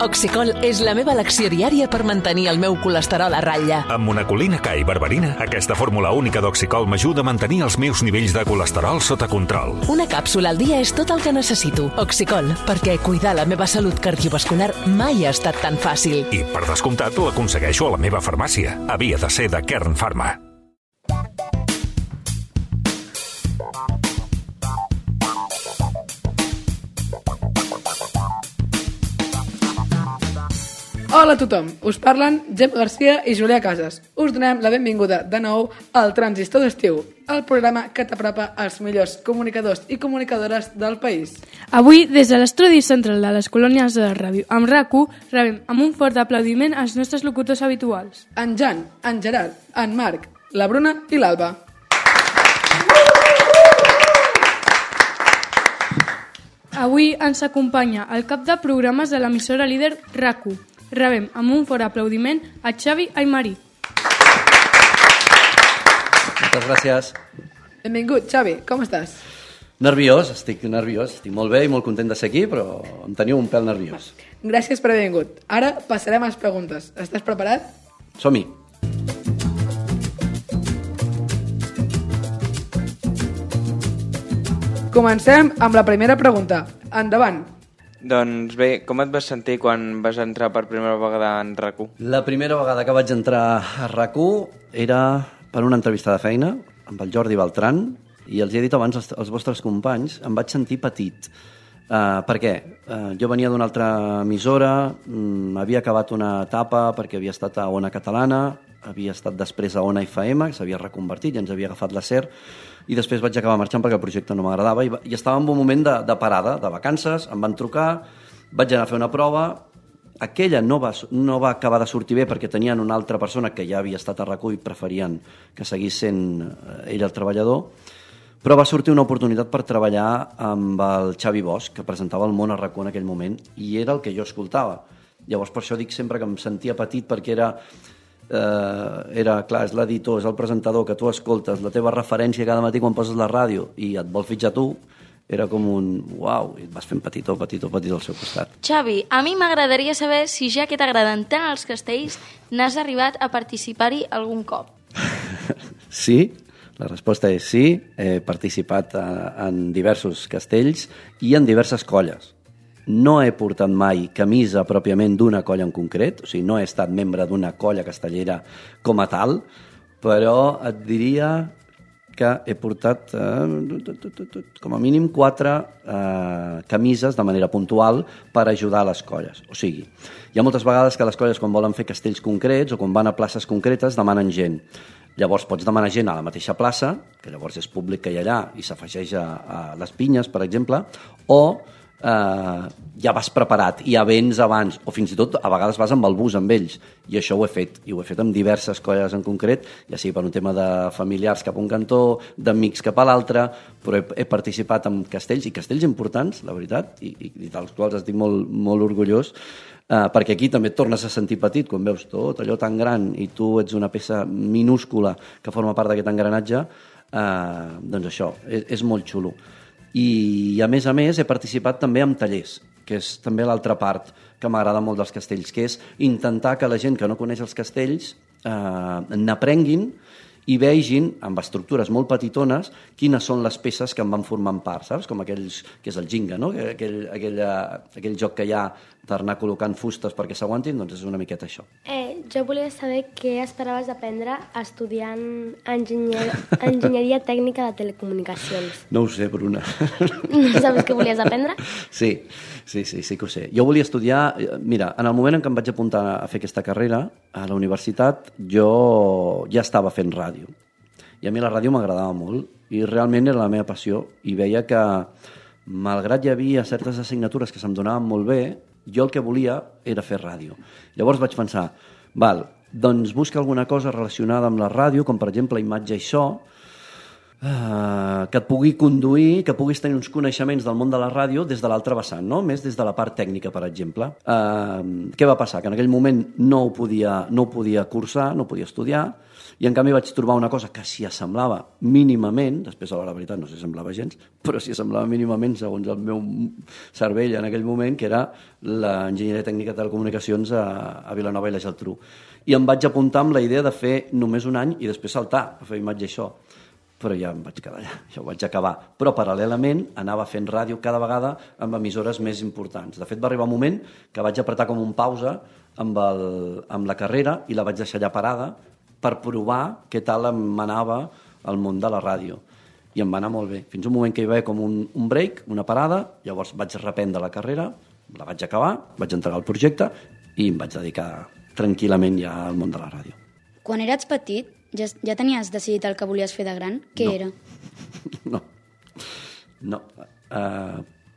Oxicol és la meva elecció diària per mantenir el meu colesterol a ratlla. Amb monacolina K i berberina, aquesta fórmula única d'Oxicol m'ajuda a mantenir els meus nivells de colesterol sota control. Una càpsula al dia és tot el que necessito. Oxicol, perquè cuidar la meva salut cardiovascular mai ha estat tan fàcil. I, per descomptat, l'aconsegueixo a la meva farmàcia. Havia de ser de Kern Pharma. Hola a tothom, us parlen Gemma Garcia i Julià Casas. Us donem la benvinguda de nou al Transistor d'Estiu, el programa que t'apropa als millors comunicadors i comunicadores del país. Avui, des de l'estudi central de les colònies de la ràdio, amb RAC1, rebem amb un fort aplaudiment als nostres locutors habituals. En Jan, en Gerard, en Marc, la Bruna i l'Alba. Avui ens acompanya el cap de programes de l'emissora líder RAC1. Rebem amb un fort aplaudiment a Xavi Aymarí. Moltes gràcies. Benvingut, Xavi, com estàs? Nerviós, estic molt bé i molt content de ser aquí, però em teniu un pèl nerviós. Gràcies per haver vingut. Ara passarem a les preguntes. Estàs preparat? Som-hi. Comencem amb la primera pregunta. Endavant. Doncs bé, com et vas sentir quan vas entrar per primera vegada en RAC1? La primera vegada que vaig entrar a RAC1 era per una entrevista de feina amb el Jordi Beltran i els he dit abans als vostres companys, em vaig sentir petit. Per què? Jo venia d'una altra emissora, havia acabat una etapa perquè havia estat a Ona Catalana, havia estat després a Ona FM, que s'havia reconvertit i ens havia agafat la SER, i després vaig acabar marxant perquè el projecte no m'agradava i estava en un moment de parada, de vacances, em van trucar, vaig anar a fer una prova, aquella no va acabar de sortir bé perquè tenien una altra persona que ja havia estat a RAC1 i preferien que seguís sent ell el treballador, però va sortir una oportunitat per treballar amb el Xavi Bosch, que presentava El món a RAC1 en aquell moment, i era el que jo escoltava. Llavors per això dic sempre que em sentia petit perquè era clar, és l'editor, és el presentador que tu escoltes, la teva referència cada matí quan poses la ràdio i et vol fitxar tu, era com un uau, i et vas fent petitó al seu costat. Xavi, a mi m'agradaria saber si ja que t'agraden tant els castells n'has arribat a participar-hi algun cop. Sí, la resposta és sí, he participat en diversos castells i en diverses colles. No he portat mai camisa pròpiament d'una colla en concret, o sigui, no he estat membre d'una colla castellera com a tal, però et diria que he portat com a mínim 4 camises de manera puntual per ajudar a les colles. O sigui, hi ha moltes vegades que les colles quan volen fer castells concrets o quan van a places concretes demanen gent. Llavors pots demanar gent a la mateixa plaça, que llavors és públic que hi ha allà i s'afegeix a les pinyes, per exemple, o ja vas preparat, ja vens abans, o fins i tot a vegades vas amb el bus amb ells, i això ho he fet, i ho he fet amb diverses colles en concret, ja sigui per un tema de familiars cap a un cantó, d'amics cap a l'altre, però he participat en castells, i castells importants, la veritat, i dels quals estic molt, molt orgullós, perquè aquí també et tornes a sentir petit quan veus tot allò tan gran i tu ets una peça minúscula que forma part d'aquest engranatge, doncs això, és molt xulo. I a més he participat també en tallers, que és també l'altra part que m'agrada molt dels castells, que és intentar que la gent que no coneix els castells n'aprenguin i vegin, amb estructures molt petitones, quines són les peces que en van formant part, saps? Com aquells, que és el Jenga, no? Aquell joc que hi ha d'anar col·locant fustes perquè s'aguantin, doncs és una miqueta això. Jo volia saber què esperaves aprendre estudiant enginyeria tècnica de telecomunicacions. No ho sé, Bruna. No sabes què volies aprendre? Sí que ho sé. Jo volia estudiar... Mira, en el moment en què em vaig apuntar a fer aquesta carrera, a la universitat, jo ja estava fent ràdio. I a mi la ràdio m'agradava molt i realment era la meva passió. I veia que, malgrat hi havia certes assignatures que se'm donaven molt bé, jo el que volia era fer ràdio. Llavors vaig pensar, doncs busca alguna cosa relacionada amb la ràdio, com per exemple imatge i so, que et pugui conduir, que puguis tenir uns coneixements del món de la ràdio des de l'altra vessant, no? Més des de la part tècnica, per exemple. Què va passar? Que en aquell moment no ho podia cursar, no ho podia estudiar, i en canvi vaig trobar una cosa que s'hi assemblava mínimament, després a la veritat no s'hi assemblava gens, però s'hi assemblava mínimament segons el meu cervell en aquell moment, que era l'enginyeria tècnica de telecomunicacions a Vilanova i la Geltrú. I em vaig apuntar amb la idea de fer només un any i després saltar a fer imatge i so. Però ja em vaig quedar allà, ja ho vaig acabar. Però paral·lelament anava fent ràdio cada vegada amb emissores més importants. De fet, va arribar un moment que vaig apretar com un pausa amb la carrera i la vaig deixar allà parada per provar què tal em anava el món de la ràdio. I em va anar molt bé. Fins un moment que hi va haver com un break, una parada, llavors vaig reprendre la carrera, la vaig acabar, vaig entregar el projecte i em vaig dedicar tranquil·lament ja al món de la ràdio. Quan eres petit, ja tenies decidit el que volies fer de gran? Què era? No,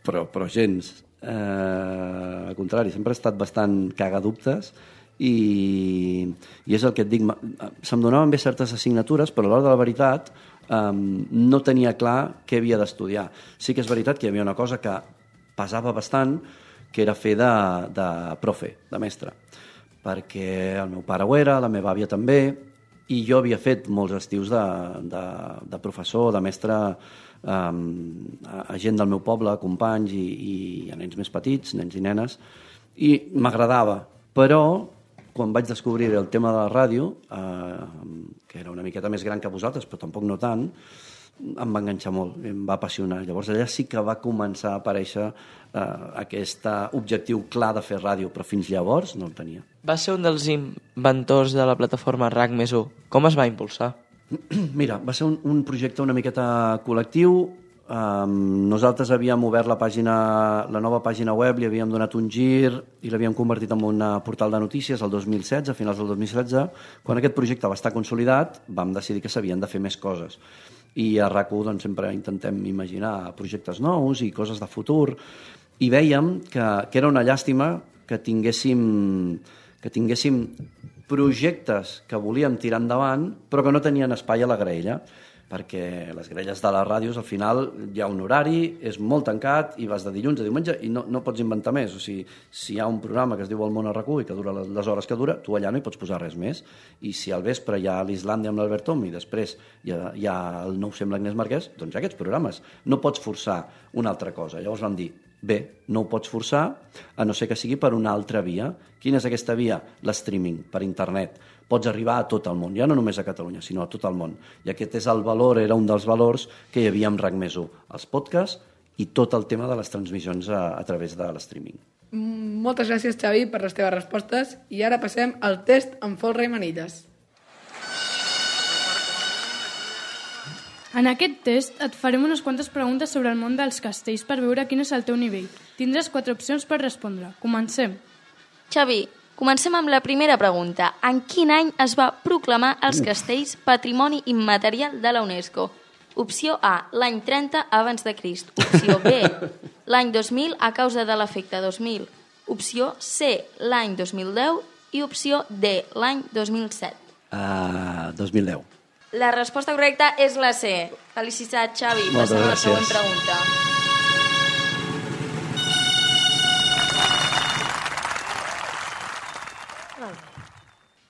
però gens. Al contrari, sempre he estat bastant cagadubtes i és el que et dic, se'm donaven bé certes assignatures, però a l'hora de la veritat no tenia clar què havia d'estudiar. Sí que és veritat que hi havia una cosa que pesava bastant, que era fer de profe, de mestre, perquè el meu pare ho era, la meva àvia també, i jo havia fet molts estius de professor, de mestre a gent del meu poble, companys i a nens més petits, nens i nenes, i m'agradava. Però quan vaig descobrir el tema de la ràdio, que era una miqueta més gran que vosaltres, però tampoc no tant, em va enganxar molt, em va apassionar. Llavors allà sí que va començar a aparèixer aquest objectiu clar de fer ràdio, però fins llavors no el tenia. Va ser un dels inventors de la plataforma RAC+1. Com es va impulsar? Mira, va ser un projecte una miqueta col·lectiu. Nosaltres havíem obert la nova pàgina web, li havíem donat un gir i l'havíem convertit en un portal de notícies el 2016, a finals del 2016. Quan aquest projecte va estar consolidat, vam decidir que s'havien de fer més coses. I a RAC1 doncs, sempre intentem imaginar projectes nous i coses de futur, i vèiem que era una llàstima que tinguéssim projectes que volíem tirar endavant però que no tenien espai a la graella, perquè les graelles de les ràdios al final hi ha un horari, és molt tancat i vas de dilluns a diumenge i no pots inventar més. O sigui, si hi ha un programa que es diu El món a RAC1 i que dura les hores que dura, tu allà no hi pots posar res més. I si al vespre hi ha l'Islàndia amb l'Albert Tom i després hi ha el Nou Sem l'Agnès Marquès, doncs hi ha aquests programes. No pots forçar una altra cosa. Llavors vam dir, bé, no ho pots forçar, a no ser que sigui per una altra via. Quina és aquesta via? L'streaming, per internet. Pots arribar a tot el món, ja no només a Catalunya, sinó a tot el món. I aquest és el valor, era un dels valors que hi havia amb RAC+1, els podcasts i tot el tema de les transmissions a través de l'streaming. Moltes gràcies, Xavi, per les teves respostes. I ara passem al test amb folre i manilles. En aquest test et farem unes quantes preguntes sobre el món dels castells per veure quin és el teu nivell. Tindràs 4 opcions per respondre. Comencem. Xavi, comencem amb la primera pregunta. En quin any es va proclamar els castells Patrimoni Immaterial de la UNESCO? Opció A, l'any 30 abans de Crist. Opció B, l'any 2000 a causa de l'efecte 2000. Opció C, l'any 2010. I opció D, l'any 2007. 2010. La resposta correcta és la C. Felicitats, Xavi. Passem a la següent pregunta.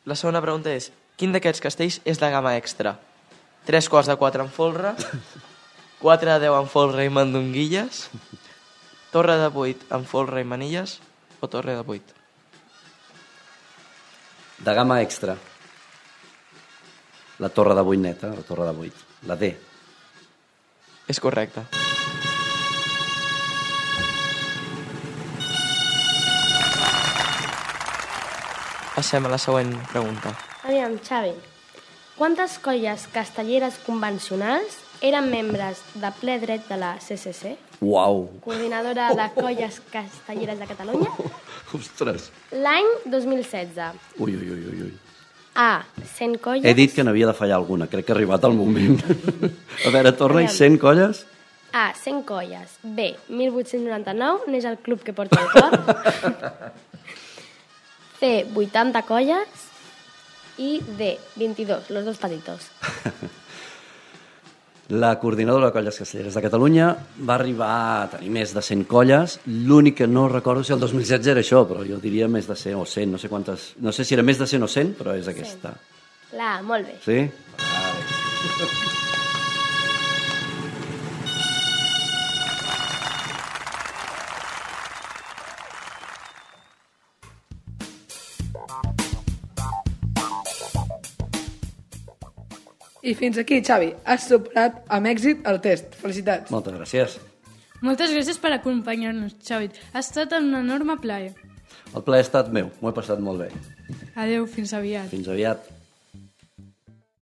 La segona pregunta és, quin d'aquests castells és de gamma extra? 3 quarts de 4 en folre, 4 de 10 en folre i mandonguilles, torre de 8 en folre i manilles o torre de 8? De gamma extra. La torre de 8 neta, la torre de 8. La D. És correcte. Passem a la següent pregunta. Aviam, Xavi, quantes colles castelleres convencionals eren membres de ple dret de la CCC? Uau! Coordinadora de colles castelleres de Catalunya? Ostres! L'any 2016. Ui. A, 100 colles... He dit que n'havia de fallar alguna, crec que ha arribat el moment. A veure, torna-hi, 100 colles? A, 100 colles. B, 1899, n'és el club que porta el cor. C, 80 colles. I D, 22, los dos patitos. La coordinadora de colles castelleres de Catalunya va arribar a tenir més de 100 colles. L'únic que no recordo si el 2016 era això, però jo diria més de 100 o 100, no sé quantes... No sé si era més de 100 o 100, però és aquesta. La, molt bé. Sí? I fins aquí, Xavi. Has superat amb èxit el test. Felicitats. Moltes gràcies. Moltes gràcies per acompanyar-nos, Xavi. Ha estat un enorme plaer. El plaer ha estat meu, m'ho he passat molt bé. Adeu, fins aviat. Fins aviat.